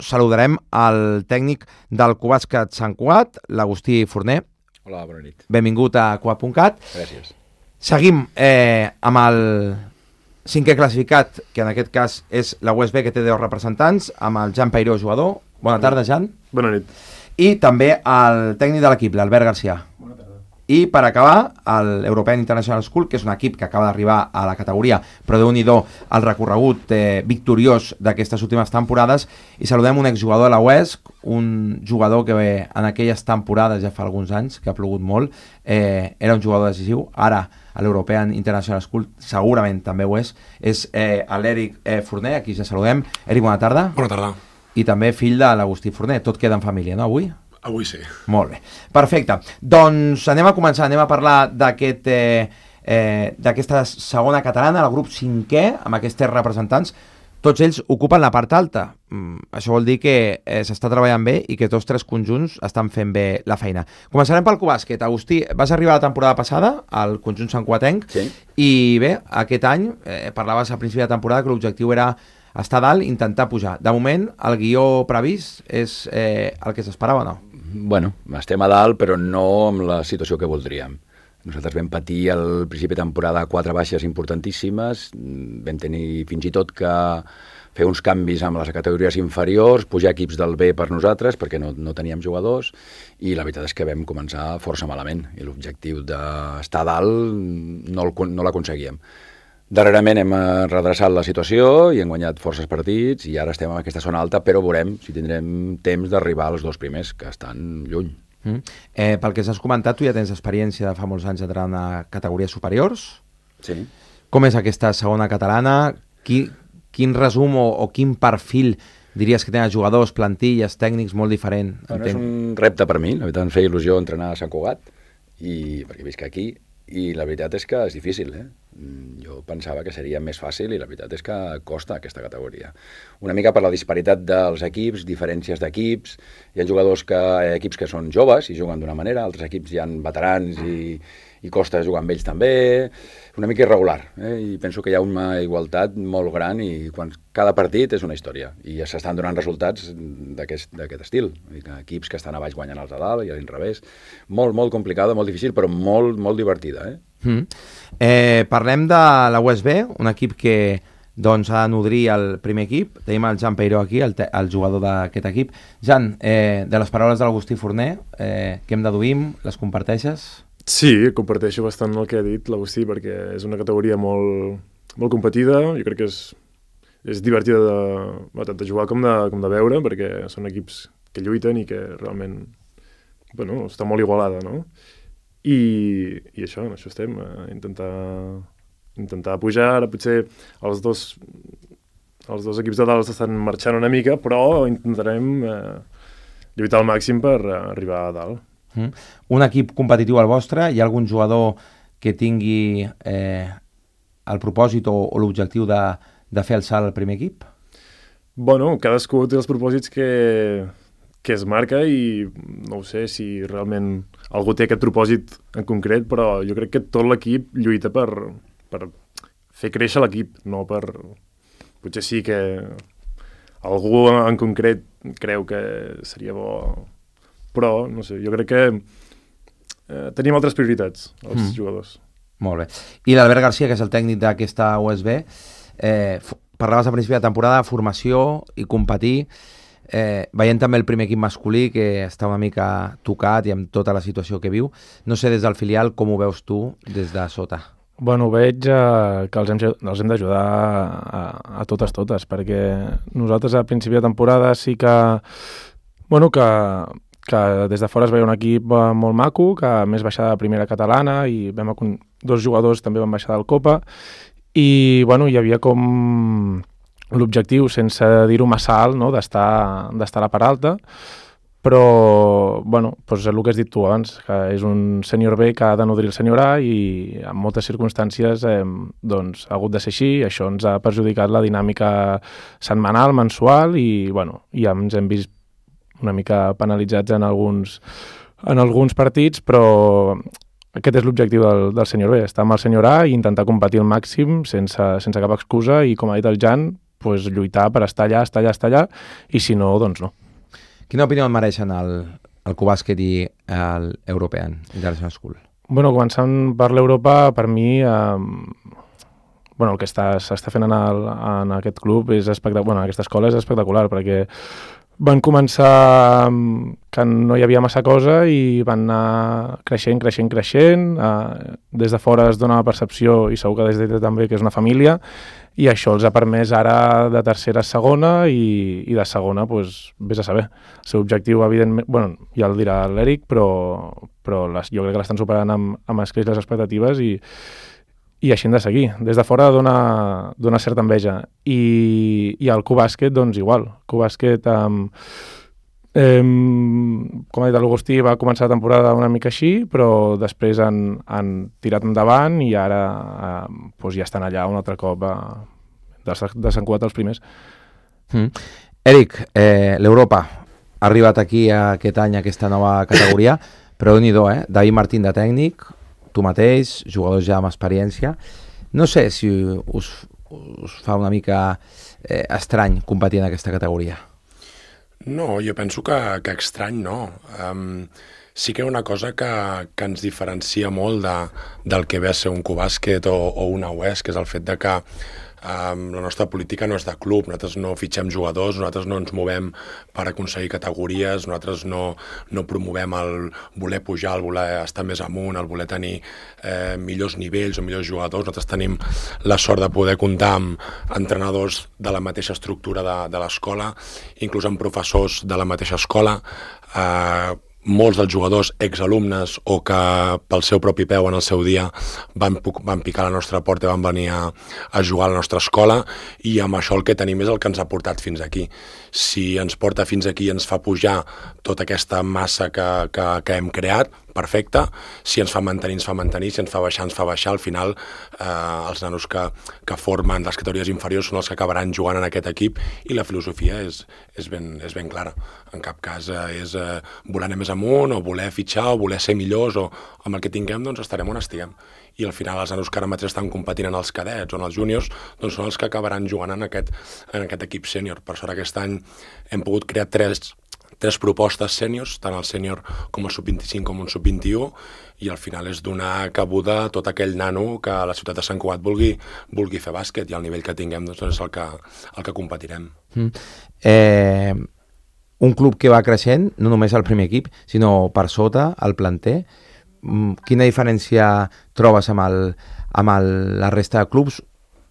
saludarem el tècnic del Cubàsquet Sant Cugat, l'Agustí Forner. Hola, bona nit. Benvingut a Cugat.cat. Gràcies. Seguim amb el cinquè classificat, que en aquest cas és la USB, que té 10 representants, amb el Jan Peiró, jugador. Bona tarda, Jan. Bona nit. I també el tècnic de l'equip, l'Albert Garcia. Bona tarda. I per acabar, l'European International School, que és un equip que acaba d'arribar a la categoria, però déu-n'hi-do el recorregut victoriós d'aquestes últimes temporades. I saludem un exjugador de la UESC, un jugador que en aquelles temporades, ja fa alguns anys, que ha plogut molt, era un jugador decisiu. Ara, a l'European International School, segurament també ho és l'Eric Forner, aquí ja saludem. Eric, bona tarda. Bona tarda. I també fill de l'Agustí Forner. Tot queda en família, no, avui? Avui sí. Molt bé, perfecte. Doncs anem a començar, anem a parlar d'aquesta segona catalana, el grup 5è, amb aquests 3 representants. Tots ells ocupen la part alta. Això vol dir que s'està treballant bé i que tots 3 conjunts estan fent bé la feina. Començarem pel Cubàsquet. Agustí, vas arribar la temporada passada al conjunt santcugatenc, Sí. I bé, aquest any parlaves a principi de temporada que l'objectiu era estar dalt, intentar pujar. De moment, el guió previst és el que s'esperava, no? Bueno, estem a dalt, però no amb la situació que voldríem. Nosaltres vam patir al principi de temporada 4 baixes importantíssimes, vam tenir fins i tot que fer uns canvis amb les categories inferiors, pujar equips del B per nosaltres, perquè no teníem jugadors, i la veritat és que vam començar força malament, i l'objectiu d'estar a dalt no l'aconseguíem. Darrerament hem redreçat la situació i hem guanyat forces partits i ara estem en aquesta zona alta, però veurem si tindrem temps d'arribar als 2 primers, que estan lluny. Pel que s'has comentat, tu ja tens experiència de fa molts anys entrant a categories superiors. Sí. Com és aquesta segona catalana? Quin resum o quin perfil diries que tenen els jugadors, plantilles, tècnics molt diferent? Bueno, és un repte per mi, la veritat em feia il·lusió entrenar a Sant Cugat, perquè visc aquí, i la veritat és que és difícil, Jo pensava que seria més fàcil i la veritat és que costa aquesta categoria. Una mica per la disparitat dels equips, diferències d'equips, hi ha equips que són joves i juguen d'una manera, altres equips hi ha veterans i costa jugar amb ells també, una mica irregular, i penso que hi ha una igualtat molt gran i cada partit és una història i ja s'estan donant resultats d'aquest estil, equips que estan a baix guanyant els de dalt i a l'inrevés. Molt, molt complicada, molt difícil, però molt, molt divertida. Parlem de la USB, un equip que doncs ha de nodrir el primer equip. Tenim el Jan Peiró aquí, el jugador d'aquest equip. Jan, de les paraules de l'Agustí Forner, què em deduïm? Les comparteixes? Sí, comparteixo bastant el que ha dit l'Agustí, perquè és una categoria molt, molt competida. Jo crec que és divertida tant de jugar com de veure, perquè són equips que lluiten i que realment està molt igualada, no? I això estem, intentar pujar. Ara potser els dos equips de dalt estan marxant una mica, però intentarem lluitar al màxim per arribar a dalt. Un equip competitiu al vostre, hi ha algun jugador que tingui el propòsit o l'objectiu de fer el salt al primer equip? Bueno, cadascú té els propòsits que es marca i no ho sé si realment algú té aquest propòsit en concret, però jo crec que tot l'equip lluita per fer créixer l'equip, no per... Potser sí que algú en concret creu que seria bo, però no sé, jo crec que tenim altres prioritats, els jugadors. Molt bé. I l'Albert Garcia, que és el tècnic d'aquesta USB, parlaves a principi de temporada de formació i competir, veient també el primer equip masculí que està una mica tocat i amb tota la situació que viu. No sé, des del filial, com ho veus tu des de sota? Bueno, veig que els hem d'ajudar a totes, perquè nosaltres a principi de temporada sí que des de fora es veia un equip molt maco, que a més baixava de primera catalana i 2 jugadors també van baixar del Copa i hi havia com l'objectiu, sense dir-ho massa alt, no? d'estar a la part alta, però el que has dit tu abans, que és un sènior B que ha de nodrir el sènior A i en moltes circumstàncies ha hagut de ser així, això ens ha perjudicat la dinàmica setmanal, mensual i ens hem vist una mica penalitzats en alguns partits, però aquest és l'objectiu del sènior B, estar amb el sènior A i intentar competir al màxim sense cap excusa i, com ha dit el Jan, pues, lluitar per estar allà, i si no, doncs no. Quina opinió et mereixen el Cubàsquet i l'European International School? Bueno, començant per l'Europa, per mi, el que s'està fent en aquest club és espectacular, en aquesta escola és espectacular, perquè van començar que no hi havia massa cosa i van anar creixent. Des de fora es dona la percepció, i segur que des de també, que és una família, i això els ha permès ara de tercera a segona i de segona, doncs, vés a saber. El seu objectiu, evidentment, ja el dirà l'Eric, però jo crec que l'estan superant amb escreix les expectatives i així hem de seguir. Des de fora dona certa enveja. I el Cubàsquet, doncs igual. Cubàsquet, com ha dit l'Agustí, va començar la temporada una mica així, però després han tirat endavant i ara ja estan allà un altre cop de Sant Cugat els primers. Eric, l'Europa ha arribat aquí aquest any, aquesta nova categoria, però déu-n'hi-do, David Martín de tècnic, tu mateix, jugadors ja amb experiència. No sé si us fa una mica estrany competir en aquesta categoria. No, jo penso que estrany no. Sí que hi ha una cosa que ens diferencia molt del que ve a ser un Cubàsquet o una UES, que és el fet de que la nostra política no és de club, nosaltres no fitxem jugadors, nosaltres no ens movem per aconseguir categories, nosaltres no promovem el voler pujar, el voler estar més amunt, el voler tenir millors nivells o millors jugadors. Nosaltres tenim la sort de poder comptar amb entrenadors de la mateixa estructura de l'escola, inclús amb professors de la mateixa escola, molts dels jugadors exalumnes o que pel seu propi peu en el seu dia van picar a la nostra porta i van venir a jugar a la nostra escola, i amb això el que tenim és el que ens ha portat fins aquí. Si ens porta fins aquí i ens fa pujar tota aquesta massa que hem creat, perfecte. Si ens fa mantenir, ens fa mantenir. Si ens fa baixar, ens fa baixar. Al final, els nanos que formen les categories inferiors són els que acabaran jugant en aquest equip, i la filosofia és ben clara. En cap cas és voler anar més amunt o voler fitxar o voler ser millors, o amb el que tinguem doncs estarem on estiguem. I al final els nanos que ara mateix estan competint en els cadets o en els júniors doncs són els que acabaran jugant en aquest equip sènior. Per sort aquest any hem pogut crear tres propostes sèniors, tant el sènior com el sub-25 com un sub-21, i al final és donar cabuda a tot aquell nano que a la ciutat de Sant Cugat vulgui fer bàsquet, i al nivell que tinguem doncs és el que competirem. Un club que va creixent, no només el primer equip, sinó per sota, el planter. Quina diferència trobes amb la resta de clubs?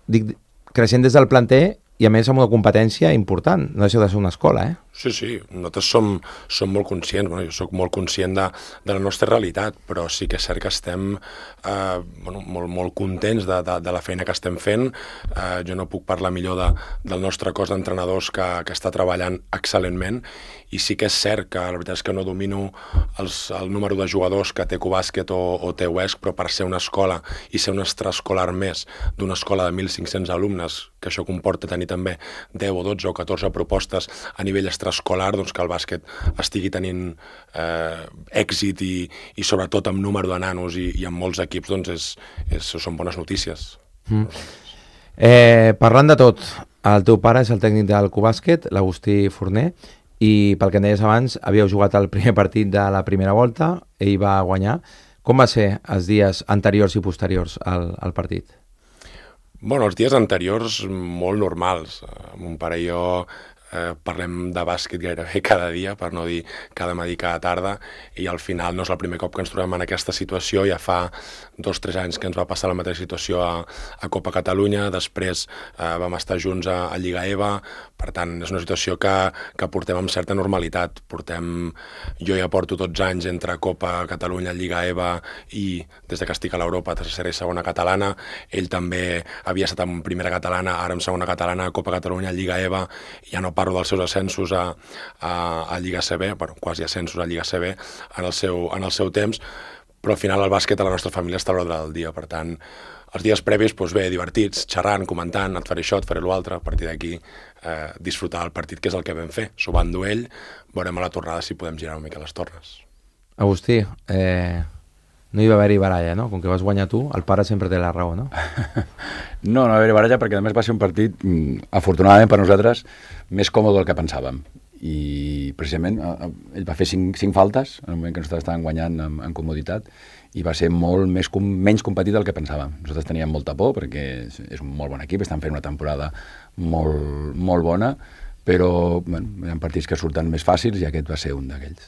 Dic, creixent des del planter i a més amb una competència important. No deixeu de ser una escola, Sí, nosaltres som molt conscients, jo soc molt conscient de la nostra realitat, però sí que és cert que estem molt contents de la feina que estem fent. Jo no puc parlar millor del nostre cos d'entrenadors que està treballant excel·lentment, i sí que és cert que la veritat és que no domino el número de jugadors que té Cubàsquet o té UESC, però per ser una escola i ser un extraescolar més d'una escola de 1.500 alumnes, que això comporta tenir també 10 o 12 o 14 propostes a nivell extraescolar, doncs que el bàsquet estigui tenint èxit i sobretot amb número de nanos i amb molts equips, doncs són bones notícies. Parlant de tot, el teu pare és el tècnic del Cubàsquet, l'Agustí Forner, i pel que em deies abans, havíeu jugat el primer partit de la primera volta, ell va guanyar. Com va ser els dies anteriors i posteriors al partit? Els dies anteriors molt normals. Mon pare i jo parlem de bàsquet gairebé cada dia, per no dir cada matí, cada tarda, i al final no és el primer cop que ens trobem en aquesta situació. Ja fa 2 o 3 anys que ens va passar la mateixa situació a Copa Catalunya, després vam estar junts a Lliga EVA, per tant és una situació que portem amb certa normalitat. Jo ja porto 12 anys entre Copa Catalunya, Lliga EVA, i des de que estic a l'Europa, tercera i segona catalana. Ell també havia estat en primera catalana, ara en segona catalana, Copa Catalunya, Lliga EVA, ja no parlo dels seus ascensos a Lliga CB, quasi ascensos a Lliga CB en el seu temps, però al final el bàsquet a la nostra família està a l'ordre del dia. Per tant, els dies previs, divertits, xerrant, comentant, et faré això, et faré l'altre, a partir d'aquí disfrutar el partit, que és el que vam fer. S'ho va endur ell, veurem a la tornada si podem girar una mica les tornes. Agustí, no hi va haver-hi baralla, no? Com que vas guanyar tu, el pare sempre té la raó, no? No va haver baralla perquè a més va ser un partit, afortunadament per nosaltres, més còmode del que pensàvem. I precisament ell va fer 5 faltes en el moment que nosaltres estàvem guanyant en comoditat i va ser menys competit del que pensàvem. Nosaltres teníem molta por perquè és un molt bon equip, estan fent una temporada molt, molt bona, però hi ha partits que surten més fàcils i aquest va ser un d'aquells.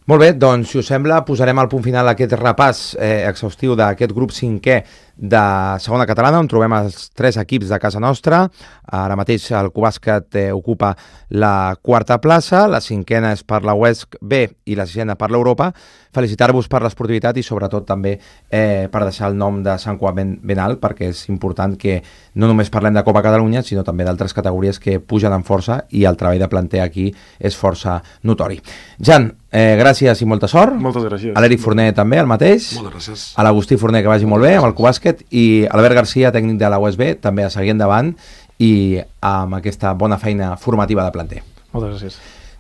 Molt bé, doncs, si us sembla, posarem al punt final aquest repàs exhaustiu d'aquest grup 5è de segona catalana, on trobem els 3 equips de casa nostra. Ara mateix el Cubàsquet ocupa la 4a plaça, la 5a és per la UESC B i la 6a per l'Europa. Felicitar-vos per l'esportivitat i sobretot també per deixar el nom de Sant Cugat ben alt, perquè és important que no només parlem de Copa Catalunya, sinó també d'altres categories que pugen en força i el treball de planter aquí és força notori. Jan, gràcies i molta sort. Moltes gràcies. A l'Eric Forner també, el mateix. Moltes gràcies. A l'Agustí Forner, que vagi molt bé amb el Cubàsquet, i Albert Garcia, tècnic de la USB, també a seguir endavant i amb aquesta bona feina formativa de planter. Moltes gràcies.